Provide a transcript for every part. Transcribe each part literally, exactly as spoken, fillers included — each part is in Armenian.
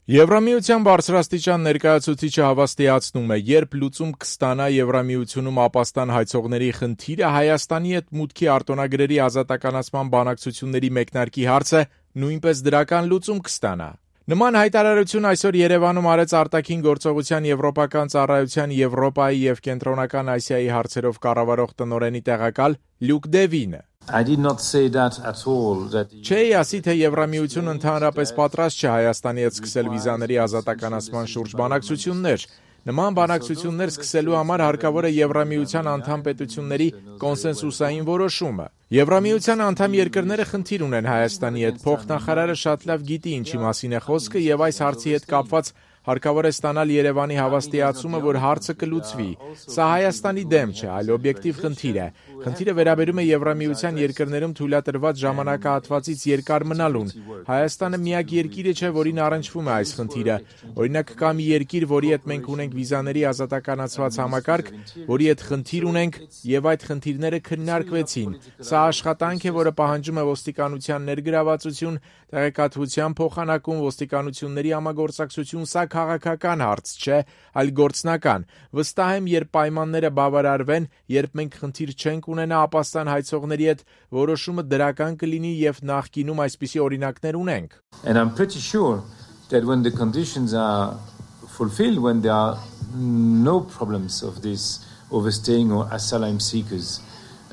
Եվրամիության բարձրաստիճան ներկայացուցիչը հավաստիացնում է, երբ լուծում կստանա Եվրամիությունում ապաստան հայցողների խնդիրը, Հայաստանի հետ մուտքի արտոնագրերի ազատականացման բանակցությունների մեկնարկի հարցը նույնպես դրական լուծում կստանա։ Նման հայտարարություն այսօր Երևանում արեց արտաքին գործողության եվրոպական ծառայության Եվրոպայի և Կենտրոնական Ասիայի հարցերով կառավարող տնօրենի տեղակալ Լյուկ Դևինը։ I did not say that at all. That... Չէի ասի, թե Եվրամիությունը ընդհանրապես պատրաստ չէ Հայաստանի հետ սկսել վիզաների ազատականացման շուրջ բանակցություններ։ Նման բանակցություններ սկսելու համար հարկավոր է Եվրամիության անդամ պետությունների կոնսենսուսային որոշումը։ Եվրամիության անդամ երկրները խնդիր ունեն Հայաստանի հետ, փոխնախարարը շատ լավ գիտի ինչի մասին է խոսքը եւ այս հարցի հետ կապված հարկավոր է ստանալ Երևանի հավաստիացումը, որ հարցը կլուծվի։ Սա Հայաստանի դեմ չէ, այլ օբյեկտիվ խնդիր է։ Խնդիրը վերաբերում է Եվրամիության երկրներում թույլատրված ժամանակահատվածից երկար մնալուն։ Հայաստանը միակ երկիրը չէ, որին առնչվում է այս խնդիրը։ Օրինակ կա մի երկիր, որի հետ մենք ունենք վիզաների ազատականացված համակարգ, որի հետ խնդիր ունենք եւ այդ խնդիրները քննարկվեցին։ Սա աշխատանք է, որը պահանջում է ոստիկանության ներգրավվածություն, տեղեկատվության փոխանակում, ոստիկանությունների համագործակցություն, սա քաղաքական հարց չէ, այլ գործնական։ Վստահ եմ, երբ պայմանները բավարարվեն, երբ մենք խնդիր չենք ունենա ապաստան հայցողների հետ, որոշումը դրական կլինի եւ նախկինում այսպիսի օրինակներ ունենք։ And I'm pretty sure that when the conditions are fulfilled, when there are no problems of this overstaying or asylum seekers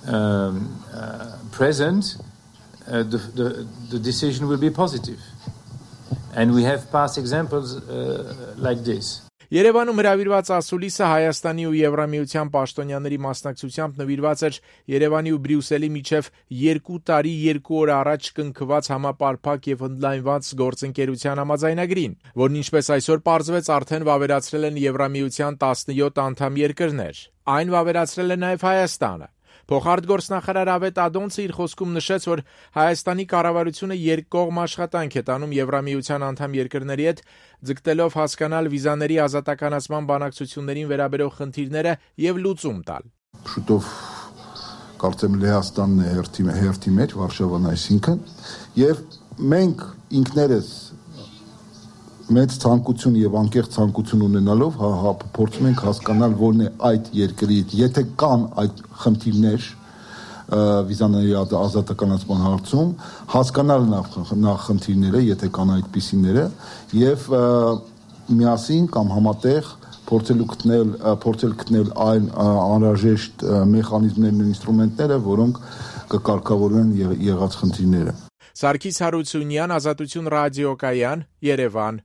um, uh, present, uh, the, the, the decision will be positive. And we have past examples uh, like this. Երևանում հրավիրված ասուլիսը Հայաստանի ու Եվրամիության պաշտոնյաների մասնակցությամբ նվիրված էր Երևանի ու Բրյուսելի միջև երկու տարի երկու օր առաջ կնքված համապարփակ եւ ընդլայնված գործընկերության համաձայնագրին, որն ինչպես այսօր պարզվեց արդեն վավերացրել են Եվրամիության տասնյոթ անդամ երկրներ։ Այն վավերացրել է նաեւ Հայաստանը։ Փոխարտգործնախարար Ավետ Ադոնցը իր խոսքում նշեց, որ Հայաստանի կառավարությունը երկկողմ աշխատանք է տանում Եվրամիության անդամ երկրների հետ, ձգտելով հասկանալ վիզաների ազատականացման բանակցություններին վերաբերող խնդիրները եւ լուծում տալ։ Շուտով կարծեմ Լեհաստանն է հերթի հերթի մեջ Վարշավան այսինքն եւ մենք ինքներս մեծ ցանկություն եւ անկեղծ ցանկություն ունենալով հա, հա փորձում ենք հասկանալ որն է այդ երկրի, եթե կան այդ խնդիրներ վիզաների ազատականացման հարցում, հասկանալ նախ նախ խնդիրները, եթե կան այդպիսիները եւ միասին կամ համատեղ փորձելու գտնել փորձել գտնել այն անհրաժեշտ մեխանիզմներն ու ինստրումենտները, որոնք կկարգավորեն եղած խնդիրները։ Սարգիս Հարությունյան, Ազատություն ռադիոկայան, Երևան։